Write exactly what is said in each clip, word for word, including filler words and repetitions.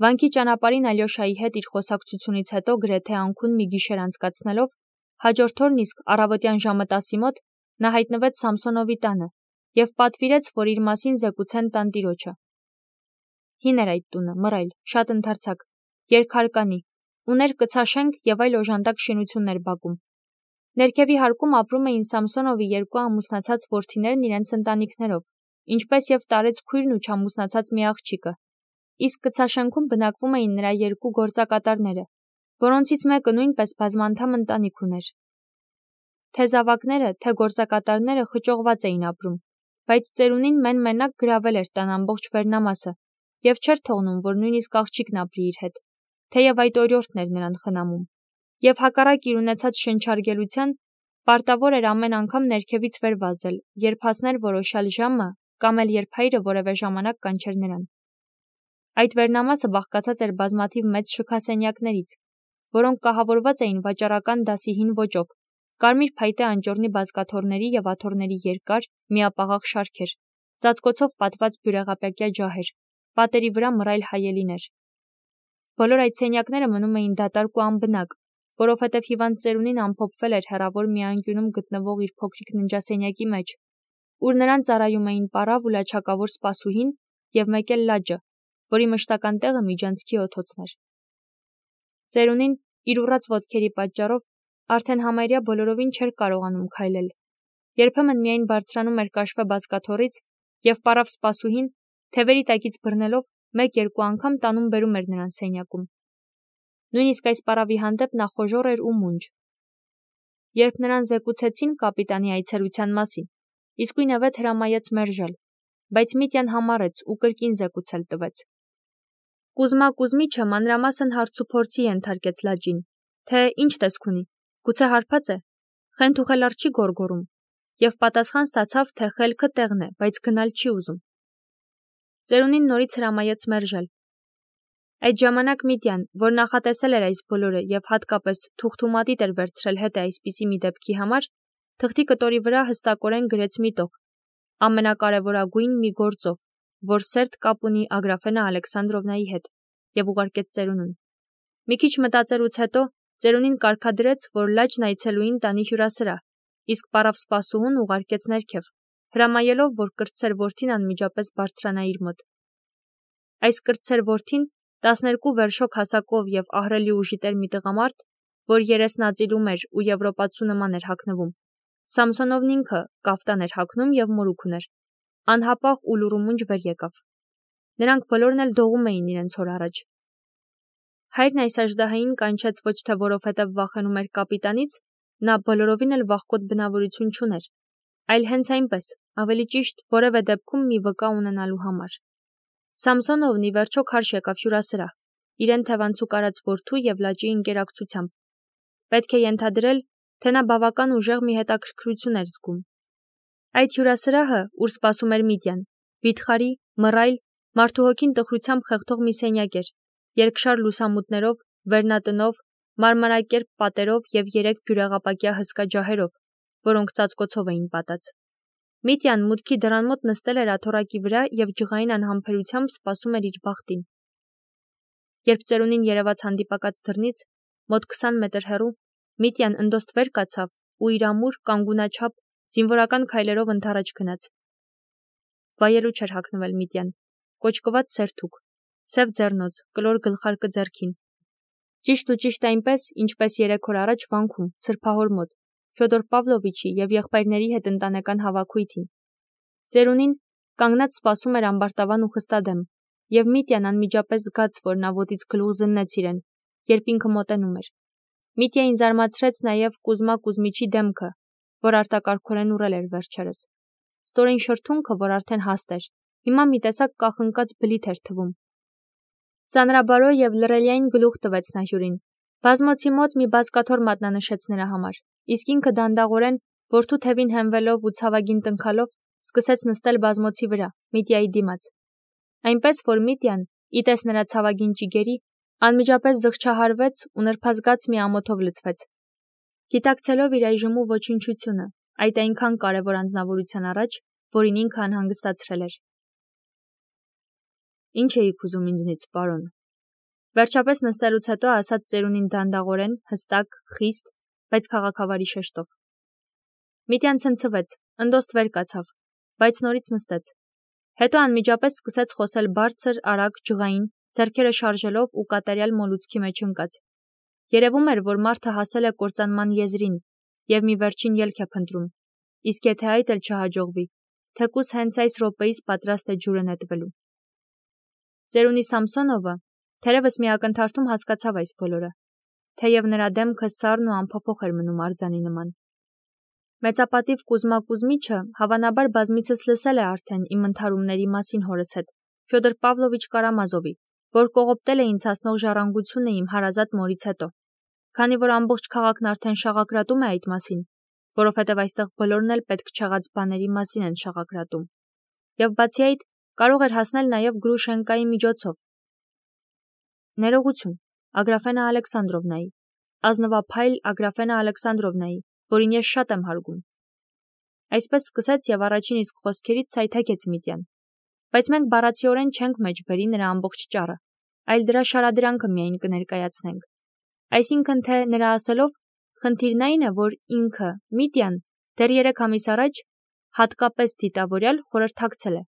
Վանքի ճանապարհին Ալյոշայի հետ իր խոսակցությունից հետո գրեթե անքուն մի գիշեր անցկացնելով, հաջորդ օրն իսկ առավոտյան ժամը տասի մոտ նա հայտնվեց Սամսոնովի տանը և պատվիրեց, որ իր մասին զեկուցեն տանտիրոջը։ Հին էր այդ տունը, մռայլ, շատ ընդարձակ, երկհարկանի, ուներ կցաշենք և այլ օժանդակ շինություններ բակում։ Ներքևի հարկում ապրում էին Սամսոնովի երկու ամուսնացած որդիներն իրենց ընտանիքներով, ինչպես և տարեց քույրն ու չամուսնացած մի աղջիկը, իսկ կցաշենքում բնակվում էին նրա երկու գործակատարները, որոնցից մեկը նույնպես բազմանդամ ընտանիք ուներ։ Թե զավակները, թե գործակատարները խճողված էին ապրում, բայց ծերունին մեն-մենակ գրավել էր տան ամբողջ վերնամասը և չէր թողնում, որ նույնիսկ աղջիկն ապրի իր հետ, թեև այդ օրիորդն էր նրան խնամում, և հակառակ իր ունեցած շնչարգելության, պարտավոր էր ամեն անգամ ներքևից վեր վազել, երբ հասներ որոշյալ ժամը կամ էլ երբ հայրը որևէ ժամանակ կանչեր նրան։ Այդ վերնամասը բաղկացած էր բազմաթիվ մեծ շքասենյակներից, որոնք կահավորված էին վաճառական դասի հին ոճով, կարմիր փայտե անճոռնի բազկաթոռների և աթոռների երկար, միապաղաղ շարքեր, ծածկոցով պատված բյուրեղապյակյա ջահեր, պատերի վրա մռայլ հայելիներ։ Բոլոր այդ սենյակները մնում էին դատարկ ու անբնակ, որովհետև հիվանդ ծերունին ամփոփվել էր հեռավոր մի անկյունում գտնվող իր փոքրիկ ննջասենյակի մեջ, ուր նրան ծառայում էին պառավ ու լաչակավոր սպասուհին և մեկ էլ լաջը, որի մշտական տեղը միջանցքի օդոցն էր։ Ծերունին, իր ուռած ոտքերի պատճառով, արդեն համարյա բոլորովին չէր կարողանում քայլել, երբեմն միայն բարձրանում էր կաշվե բազկաթոռից և պառավ սպասուհին, թևերի տակից բռնելով, մեկ-երկու անգամ տանում-բերում էր նրան սենյակում։ Նույնիսկ այս պառավի հանդեպ նա խոժոռ էր ու մունջ։ Երբ նրան զեկուցեցին կապիտանի այցելության մասին, իսկույնևեթ հրամայեց մերժել, բայց Միտյան համառեց ու կրկին զեկուցել տվեց։ Կուզմա Կուզմիչը մանրամասն հարցուփորձի ենթարկեց լաջին, թե ինչ տեսք ունի, գուցե հարբած է, խենթուխելար չի գոռգոռում, և պատասխան ստացավ, թե խելքը տեղն է, բայց գնալ չի ուզում։ Ծերունին նորից հրամայեց մերժել։ Այդ ժամանակ Միտյան, որ նախատեսել էր այս բոլորը և հատկապես թուղթումատիտ էր վերցրել հետը այսպիսի մի դեպքի համար, թղթի կտորի վրա հստակորեն գրեց մի տող, ամենակարևորագույն մի գործով, որ սերտ կապ ունի Ագրաֆենա Ալեքսանդրովնայի հետ, և ուղարկեց ծերունուն։ Մի քիչ մտածելուց հետո ծերունին կարգադրեց, որ լաջն այցելուին տանի հյուրասրահ, իսկ պառավ սպասուհուն ուղարկեց ներքև, հրամայելով, որ կրտսեր որդին անմիջապես բարձրանա իր մոտ։ Այս կրտսեր որդին տասներկու վերշոք հասակով և ահռելի ուժիտեր մի տղամարդ, որ երեսն ածիլում էր ու եվրոպացու նման էր հագնվում, Սամսոնովն ինքը կաֆտան էր հագնում և մորուք ուներ, անհապաղ ու լուռումունջ վեր եկավ։ Նրանք բոլորն էլ դողում էին իրենց հոր առաջ։ Հայրն այս աժդահային կանչեց ոչ թե որովհետև վախենում էր կապիտանից, նա բոլորովին էլ վախկոտ բնավորություն չուներ, այլ հենց այնպես, ավելի ճիշտ, որևէ դեպքում մի վկա ունենալու համար։ Սամսոնովն ի վերջո քարշ եկավ հյուրասրահ, իրեն թևանցուկ արած որդու և լաջի ընկերակցությամբ։ Պետք է ենթադրել, թե նա բավական ուժեղ մի հետաքրքրություն էր զգում։ Այդ հյուրասրահը, ուր սպասում էր Միտյան, վիթխարի, մռայլ, մարդու հոգին տխրությամբ խեղդող մի սենյակ էր, երկշար լուսամուտներով, վերնատնով, մարմարակերպ պատերով և երեք բյուրեղապակյա հսկա ջահերով, որոնք ծածկոցով էին պատած։ Միտյան մուտքի դռան մոտ նստել էր աթոռակի վրա և ջղային անհամբերությամբ սպասում էր իր բախտին։ Երբ ծերունին երևաց հանդիպակաց դռնից, մոտ քսան մետր հեռու, Միտյան ընդոստ վեր կացավ ու իր ամուր, կանգունաչափ, զինվորական քայլերով ընդառաջ գնաց։ Վայելու չէր հագնվել Միտյան, կոճկված սերթուկ, սև ձեռնոց, կլոր գլխարկը ձեռքին։ Ճիշտ ու ճիշտ այնպես, ինչպես երեք օր առաջ վանքում, սրբահոր մոտ, Ֆյոդոր Պավլովիչի և եղբայրների հետ ընտանեկան հավաքույթին։ Ծերունին կանգնած սպասում էր ամբարտավան ու խստադեմ, և Միտյան անմիջապես զգաց, որ նա ոտից գլուխ զննեց իրեն, երբ ինքը մոտենում էր։ Միտյային զարմացրեց նաև Կուզմա Կուզմիչի դեմքը, որ արտակարգորեն ուռել էր վերջերս։ Ստորին շրթունքը, որ արդեն հաստ էր, հիմա մի տեսակ կախնկած բլիթ էր թվում։ Ծանրաբարո և լռելիային գլուխ տվեց նա հյուրին։ Բազմոցի մոտ մի բազկաթոռ մատնանշեց նրա համար, իսկ ինքը դանդաղորեն, որդու թևին հենվելով ու ցավագին տնքալով, սկսեց նստել բազմոցի վրա, Միտյայի դիմաց։ Այնպես որ Միտյան, ի տես նրա ցավագին ճիգերի, անմիջապես զղջահարվեց ու նրբազգաց մի ամոթով լցվեց։ Գիտակցելով իր այժմու ոչնչությունը, այդ այնքան կարևոր անձնավորության առաջ, որին ինքը անհանգստացրել էր։ Ինչ էիք ուզում ինձնից, պարոն, Վերջապես նստելուց հետո ասաց ծերունին դանդաղորեն, հստակ, խիստ, բայց քաղաքավարի շեշտով. Միտյան ցնցվեց, ընդոստ վեր կացավ, բայց նորից նստեց։ Հետո անմիջապես սկսեց խոսել բարձր, արագ, ջղային, ձեռքերը շարժելով ու կատարյալ մոլուցքի մեջ ընկած։ Երևում էր, որ մարդը հասել է կործանման եզրին և մի վերջին ելք է փնտրում, իսկ եթե այդ էլ չհաջողվի, թեկուզ հենց այս րոպեիս պատրաստ է ջուրը նետվելու։ Ծերունի Սամսոնովը թերևս մի ակնթարթում հասկացավ այս բոլորը, թեև նրա դեմքը սառն ու անփոփոխ էր մնում արձանի նման։ Մեծապատիվ Կուզմա Կուզմիչը հավանաբար բազմիցս լսել է արդեն իմ ընդհարումների մասին հորս հետ, Ֆյոդոր Պավլովիչ Կարամազովի, որ կողոպտել է ինձ հասնող ժառանգությունը իմ հարազատ մորից հետո, քանի որ ամբողջ քաղաքն արդեն շաղակրատում է այդ մասին, որովհետև այստեղ բոլորն էլ պետք չեղած բաների մասին են շաղակրատում, և բացի այդ կարող էր հասնել նաև Գրուշենկայի միջոցով։ Ներողություն, Ագրաֆենա Ալեքսանդրովնայի, ազնվափայլ Ագրաֆենա Ալեքսանդրովնայի, որին ես շատ եմ հարգում։ Այսպես սկսեց և առաջին իսկ խոսքերից սայթաքեց Միտյան, բայց մենք բառացիորեն չենք մեջբերի նրա ամբողջ ճառը, այլ դրա շարադրանքը միայն կներկայացնենք։ Այսինքն թե նրա ասելով, խնդիրն այն է, որ ինքը, Միտյան, դեռ երեք ամիս առաջ հատկապես դիտավորյալ խորհրդակցել է։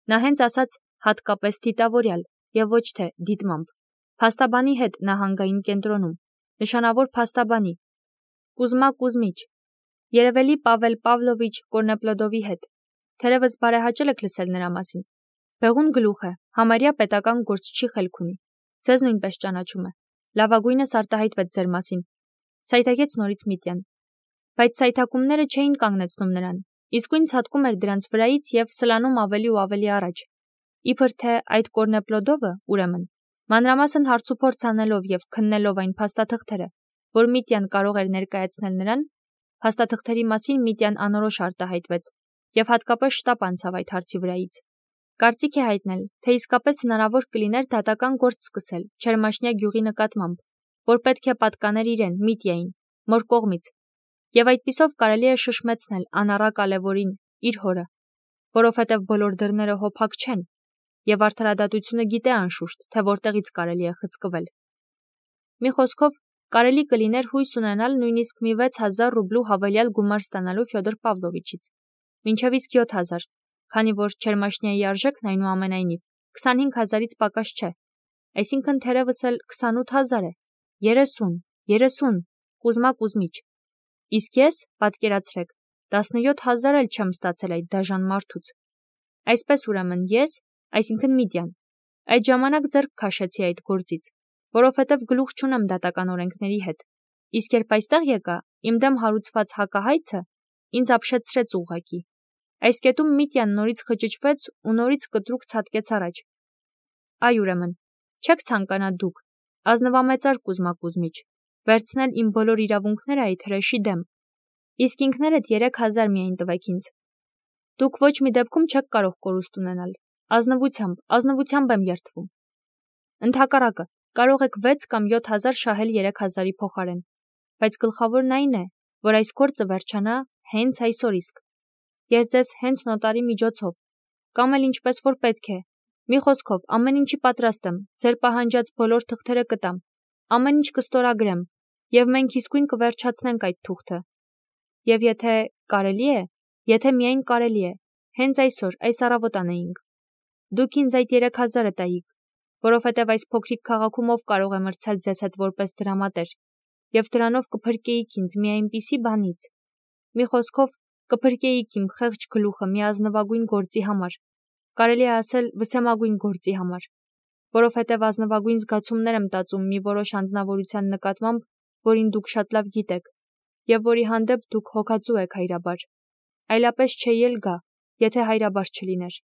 Նա հենց ասաց հատկապես դիտավորյալ և ոչ թե դիտմամբ։ Փաստաբանի հետ նահանգային կենտրոնում, նշանավոր փաստաբանի, Կուզմա Կուզմիչ, երևելի Պավել Պավլովիչ Կորնեպլոդովի հետ, թերևս բարեհաճել եք լսել նրա մասին։ Բեղուն գլուխ է, համարյա պետական գործչի խելք ունի, ձեզ նույնպես ճանաչում է, լավագույնս արտահայտվեց ձեր մասին, սայթաքեց նորից Միտյան։ Բայց սայթաքումները չէին կանգնեցնում նրան, իսկույն ցատկում էր դրանց վրայից և սլանում ավելի ու ավելի առաջ։ Իբր թե այդ Կորնեպլոդովը, ուրեմն, մանրամասն հարցուփորձ անելով և քննելով այն փաստաթղթերը, որ Միտյան կարող էր ներկայացնել նրան, փաստաթղթերի մասին Միտյան անորոշ արտահայտվեց և հատկապես շտապ անցավ այդ հարցի վրայից։ Կարծիք է հայտնել, թե իսկապես հնարավոր կլիներ դատական գործ սկսել Չերմաշնյա գյուղի նկատմամբ, որ պետք է պատկաներ իրեն, Միտյային, մոր կողմից, և այդպիսով կարելի է շշմեցնել անառակ Ալևորին, իր հորը, որովհետև բոլոր դռները հոփակ չեն, և արդարադատությունը գիտե անշուշտ, թե որտեղից կարելի է խցկվել։ Մի խոսքով, կարելի կլիներ հույս ունենալ նույնիսկ մի վեց հազար ռուբլու հավելյալ գումար ստանալու Ֆյոդոր Պավլովիչից, մինչև իսկ յոթ հազար, քանի որ Չերմաշնյայի արժեքն այնուամենայնիվ քսանհինգ հազարից պակաս չէ, այսինքն թերևս էլ քսանութ հազար է, երեսուն, երեսուն, Կուզմա Կուզմիչ։ Իսկ ես, պատկերացրեք, տասնյոթ հազար էլ չեմ ստացել այդ դաժան մարդուց։ Այսպես ուրեմն ես, այսինքն Միտյան, այդ ժամանակ ձեռք քաշեցի այդ գործից, որովհետև գլուխ չունեմ դատական օրենքների հետ, իսկ երբ այստեղ եկա, իմ դեմ հարուցված հակահայցը ինձ ապշեցրեց ուղղակի։ Այս կետում Միտյան նորից խճճվեց ու նորից կտրուկ ցատկեց առաջ։ Այ ուրեմն, չեք ցանկանա դուք, ազնվամեծար Կուզմա Կուզմիչ, վերցնել իմ բոլոր իրավունքները այդ հրեշի դեմ, իսկ ինքներդ երեք հազար միայն տվեք ինձ։ Դուք ոչ մի դեպքում չեք կարող կորուստ ունենալ, ազնվությամբ, ազնվությամբ եմ երդվում։ Ընդհակառակը, կարող եք վեց կամ յոթ հազար շահել երեք հազարի փոխարեն, բայց գլխավորն այն է, որ այս գործը վերջանա հենց այսօր իսկ։ Ես ձեզ հենց նոտարի միջոցով, կամ էլ ինչպես որ պետք է, մի խոսքով, ամեն ինչի պատրաստ եմ, ձեր պահանջած բոլոր թղթերը կտամ, ամեն ինչ կստորագրեմ, և մենք իսկույն կվերջացնենք այդ թուղթը։ Եվ եթե կարելի է, եթե միայն կարելի է, հենց այսօր, այս առավոտ անեինք։ Դուք ինձ այդ երեք հազարը տայիք, որովհետև այս փոքրիկ քաղաքում ով կարող է մրցել ձեզ հետ որպես դրամատեր, և դրանով կփրկեիք ինձ մի այնպիսի բանից։ Մի խոսքով, կփրկեիք իմ խեղճ գլուխը մի ազնվագույն գործի համար, կարելի է ասել վսեմագույն գործի համար, որովհետև ազնվագույն զգացումներ եմ տածում մի որոշ անձնավորության նկատմամբ, որին դուք շատ լավ գիտեք, և որի հանդեպ դուք հոգածու եք հայրաբար, այլապես չէի էլ գա, եթե հայրաբար չլիներ։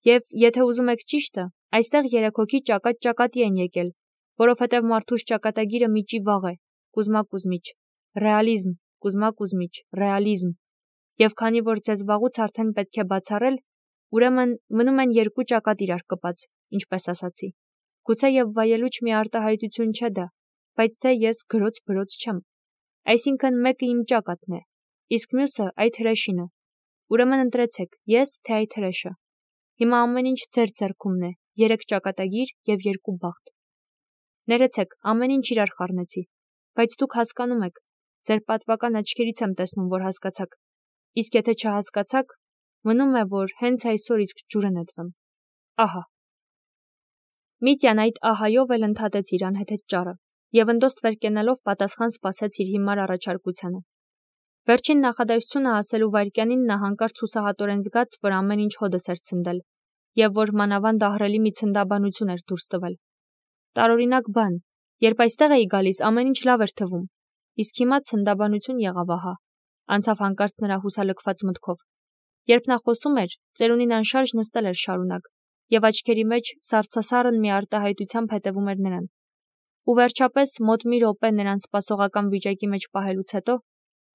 Եվ եթե ուզում եք ճիշտը, այստեղ երեք հոգի ճակատ-ճակատի են եկել, որովհետև մարդուս ճակատագիրը միջի վաղ է, Կուզմա Կուզմիչ, ռեալիզմ, Կուզմա Կուզմիչ, ռեալիզմ, և քանի որ ձեզ վաղուց արդեն պետք է բացառել, ուրեմն մնում են երկու ճակատ իրար կպած, ինչպես ասացի։ Գուցե և վայելուչ մի արտահայտություն չէ դա, բայց թե ես գրոց-բրոց չեմ։ Այսինքն մեկը իմ ճակատն է, իսկ մյուսը այդ հրեշինը։ Ուրեմն ընտրեցեք, ես թե այդ հրեշը։ Հիմա ամեն ինչ ձեր ձեռքումն է, երեք ճակատագիր և երկու բախտ։ Ներեցեք, ամեն ինչ իրար խառնեցի, բայց դուք հասկանում եք, ձեր պատվական աչքերից եմ տեսնում, որ հասկացաք, իսկ եթե չհասկացաք, մնում է, որ հենց այսօր իսկ ջուրը նետվեմ։ Ահա։ Միտյան այդ ահայով էլ ընդհատեց իր անհեթեթ ճառը և ընդոստ վեր կենալով պատասխան սպասեց իր հիմար առաջարկությանը։ Վերջին նախադասությունը ասելու վայրկյանին նա հանկարծ հուսահատորեն զգաց, որ ամեն ինչ հոդս էր ցնդել և որ մանավանդ ահռելի մի ցնդաբանություն էր դուրս տվել։ Տարօրինակ բան, երբ այստեղ էի գալիս, ամեն ինչ լավ էր թվում, իսկ հիմա ցնդաբանություն եղավ ահա, անցավ հանկարծ նրա հուսալքված մտքով։ Երբ նա խոսում էր, ծերունին անշարժ նստել էր շարունակ, և աչքերի մեջ սառցասառն մի արտահայտությամբ հետևում էր նրան։ Ու վերջապես մոտ մի րոպե նրան սպասողական վիճակի մեջ պահելուց հետո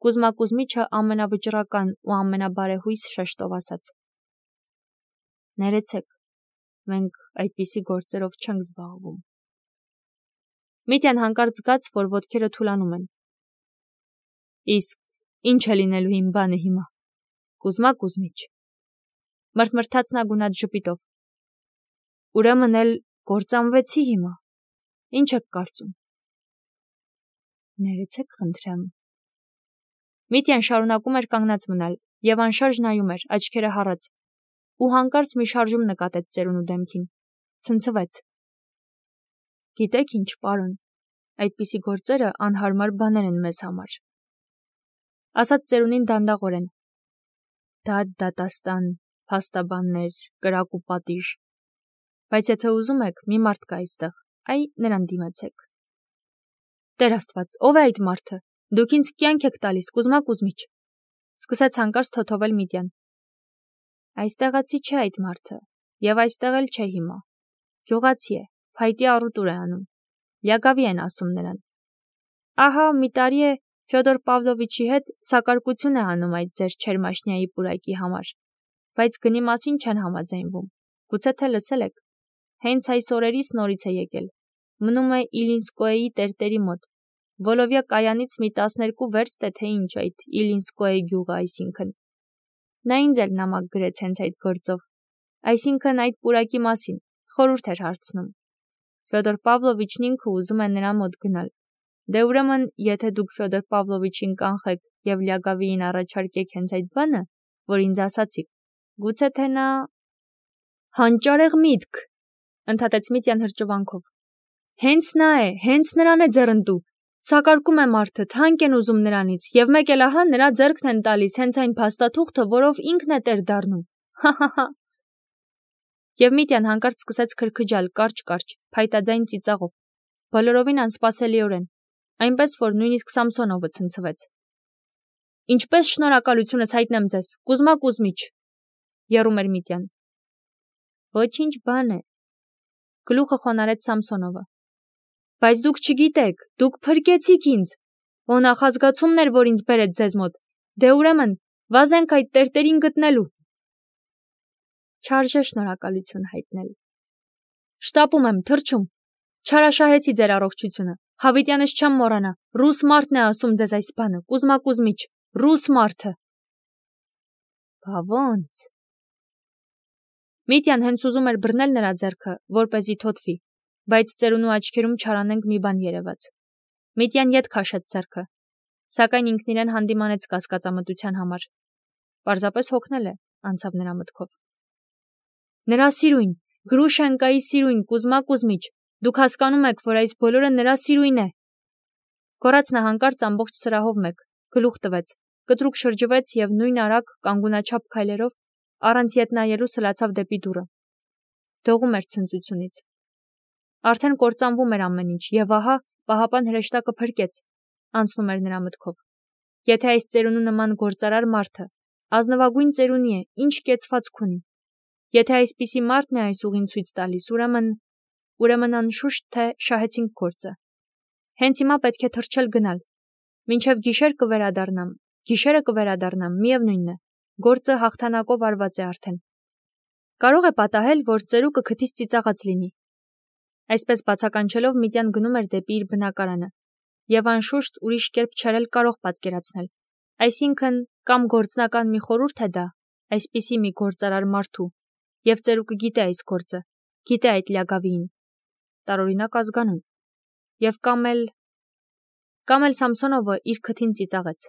Կուզմա Կուզմիչը ամենավճռական ու ամենաբարեհույս շեշտով ասաց. Ներեցեք, մենք այդպիսի գործերով չենք զբաղվում։ Միտյան հանկարծ զգաց, որ ոտքերը թուլանում են։ Իսկ ինչ է լինելու իմ բանը հիմա, Կուզմա Կուզմիչ, մրթմրթաց նա գունատ ժպիտով։ Ուրեմն էլ կործանվեցի հիմա, ինչ եք կարծում։ Ներեցեք խնդրեմ։ Միտյան շարունակում էր կանգնած մնալ և անշարժ նայում էր, աչքերը հառած, ու հանկարծ մի շարժում նկատեց ծերունու դեմքին, ցնցվեց։ Գիտեք ինչ, պարոն, այդպիսի գործերը անհարմար բաներ են մեզ համար, ասաց ծերունին դանդաղորեն։ Դա դատաստան, փաստաբաններ, կրակ ու պատիժ, բայց եթե ուզում եք, մի մարդ կա այստեղ, այ նրան դիմեցեք։ Տեր Աստված, ով է այդ մարդը։ Դուք ինձ կյանք եք տալիս, Կուզմա Կուզմիչ, սկսեց հանկարծ թոթովել Միտյան։ Այստեղացի չէ այդ մարդը, և այստեղ էլ չէ հիմա։ Գյուղացի է, փայտի առուտուր է անում։ Լյագավի են ասում նրան։ Ահա մի տարի է Ֆյոդոր Պավլովիչի հետ սակարկություն է անում այդ ձեր Չերմաշնիայի պուրակի համար, բայց գնի մասին չեն համաձայնվում։ Գուցե թե լսել եք։ Հենց այս օրերից նորից է եկել։ Մնում է Իլինսկոեի տերտերի մոտ։ Վոլովյա կայանից մի տասներկու վերստ է թե ինչ այդ Իլինսկոեի գյուղը, այսինքն։ Նա ինձ էլ նամակ գրեց հենց այդ գործով, այսինքն այդ պուրակի մասին, խորհուրդ էր հարցնում։ Ֆյոդոր Պավլովիչն ինքը ուզում է նրա մոտ գնալ։ Դե ուրեմն, եթե դուք Ֆյոդոր Պավլովիչին կանխեք և Լյագավիին առաջարկեք հենց այդ բանը, որ ինձ ասացիք, գուցե թե նա… Հանճարեղ միտք, ընդհատեց Միտյան հրճվանքով։ Հենց նա է, հենց նրան է ձեռնտու։ Սակարկում է մարդը, թանկ են ուզում նրանից, և մեկ էլ ահա նրա ձեռքն են տալիս հենց այն փաստաթուղթը, որով ինքն է տեր դառնում։ Հա՛հա՛հա։ Եվ Միտյան հանկարծ սկսեց քրքջալ կարճ-կարճ, փայտաձայն ծիծաղով, բոլորովին անսպասելիորեն, այնպես որ նույնիսկ Սամսոնովը ցնցվեց։ Ինչպես շնորհակալությունս հայտնեմ ձեզ, Կուզմա Կուզմիչ, եռում էր Միտյան։ Ոչինչ բան է, գլուխը խոնարհեց Սամսոնովը։ Բայց դուք չգիտեք, դուք փրկեցիք ինձ։ Ո նախազգացումն էր, որ ինձ բերեց ձեզ մոտ։ Դե ուրեմն, վազենք այդ տերտերին գտնելու։ Չարժե շնորհակալություն հայտնել։ Շտապում եմ, թռչում։ Չարաշահեցի ձեր առողջությունը։ Հավիտյանս չեմ մոռանա, ռուս մարդն է ասում ձեզ այս բանը, Կուզմա Կուզմիչ, ռուս մարդը։ Բա ո՞նց։ Միտյան հենց ուզում էր բռնել նրա ձեռքը, որպեսզի թոթվի, բայց ծերունու աչքերում չարանենք մի բան երևաց։ Միտյան ետ քաշեց ձեռքը, սակայն ինքն իրեն հանդիմանեց կասկածամտության համար։ Պարզապես հոգնել է, անցավ նրա մտքով։ Նրա սիրույն, Գրուշենկայի սիրույն, Կուզմա Կուզմիչ, դուք հասկանում եք, որ այս բոլորը նրա սիրույն է։ Գոռաց նա հանկարծ ամբողջ սրահով մեկ, գլուխ տվեց, կտրուկ շրջվեց և նույն արագ կանգունաչափ քայլերով առանց ետ նայելու սլացավ դեպի դուռը։ Դողում էր ցնծությունից։ Արդեն կործանվում էր ամեն ինչ, և ահա պահապան հրեշտակը փրկեց, անցնում էր նրա մտքով։ Եթե այս ծերունու նման գործարար մարդը ազնվագույն ծերունի է, ինչ կեցվածք ունի։ Եթե այսպիսի մարդն է այս ուղին ցույց տալիս, ուրեմն… ուրեմն անշուշտ թե շահեցինք գործը։ Հենց հիմա պետք է թռչել գնալ։ Մինչև գիշեր կվերադառնամ, գիշերը կվերադառնամ, միևնույնն է, գործը հաղթանակով արված է արդեն։ Կարող է պատահել, որ ծերուկը քթից ծիծաղած լինի։ Այսպես բացականչելով Միտյան գնում էր դեպի իր բնակարանը, և անշուշտ ուրիշ կերպ չէր էլ կարող պատկերացնել։ Այսինքն, կամ գործնական մի խորհուրդ է դա, այսպիսի մի գործարար մարդու, և ծերուկը գիտե այս գործը, գիտե այդ Լյագավիին։ Տարօրինակ ազգանուն։ Եվ կամ էլ կամ էլ Սամսոնովը իր քթին ծիծաղեց։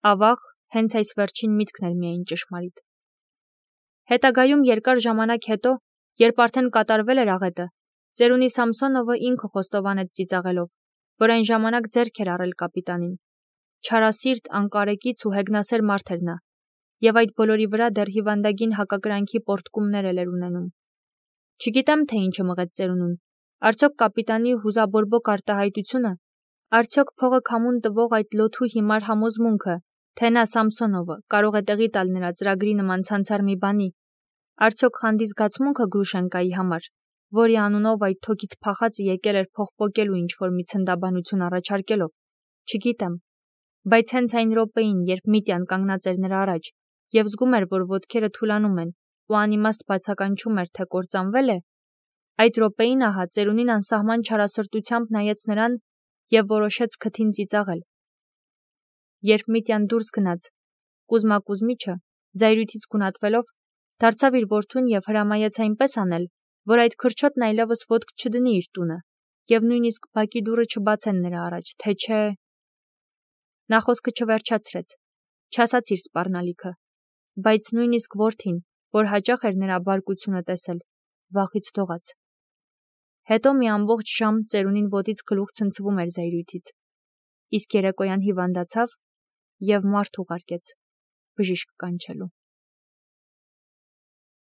Ավաղ, հենց այս վերջին միտքն էր միայն ճշմարիտ։ Հետագայում երկար ժամանակ հետո, երբ արդեն կատարվել էր աղետը, ծերունի Սամսոնովը ինքը խոստովանեց ծիծաղելով, որ այն ժամանակ ձեռք էր առել կապիտանին։ Չարասիրտ, անկարեկից ու հեգնասեր մարդ էր նա, եւ այդ բոլորի վրա դեռ հիվանդագին հակակրանքի պոռթկումներ էլ էր ունենում։ Չգիտեմ, թե ինչը մղեց ծերունուն, արդյոք կապիտանի հուզաբորբոք արտահայտությունը, արդյոք փողը քամուն տվող այդ լոթու հիմար համոզմունքը, թե նա Սամսոնովը կարող է տեղի տալ նրա ծրագրի նման ցանցար մի բանի, արդյոք խանդի զգացմունքը Գրուշենկայի համար, որի անունով այդ թոքից փախածը եկել էր փող պոկելու ինչ-որ մի ցնդաբանություն առաջարկելով, չգիտեմ, բայց հենց այն րոպեին, երբ Միտյան կանգնած էր նրա առաջ եւ զգում էր, որ ոտքերը թուլանում են ու անիմաստ բացականչում էր, թե կործանվել է, այդ րոպեին ահա ծերունին անսահման չարասրտությամբ նայեց նրան եւ որոշեց քթին ծիծաղել։ Երբ Միտյան դուրս գնաց, Կուզմա Կուզմիչը, զայրույթից գունատվելով, դարձավ իր որդուն եւ հրամայեց այնպես անել, որ այդ քրչոտն այլևս ոտք չդնի իր տունը եւ նույնիսկ բակի դուռը չբացեն նրա առաջ, թե չէ… Նա խոսքը չվերջացրեց, չասաց իր սպառնալիքը, բայց նույնիսկ որդին, որ հաճախ էր նրա բարկությունը տեսել, վախից դողաց։ Հետո մի ամբողջ ժամ ծերունին ոտից գլուխ ցնցվում էր զայրույթից, իսկ երեկոյան հիվանդացավ եւ մարդ ուղարկեց բժիշկ կանչելու։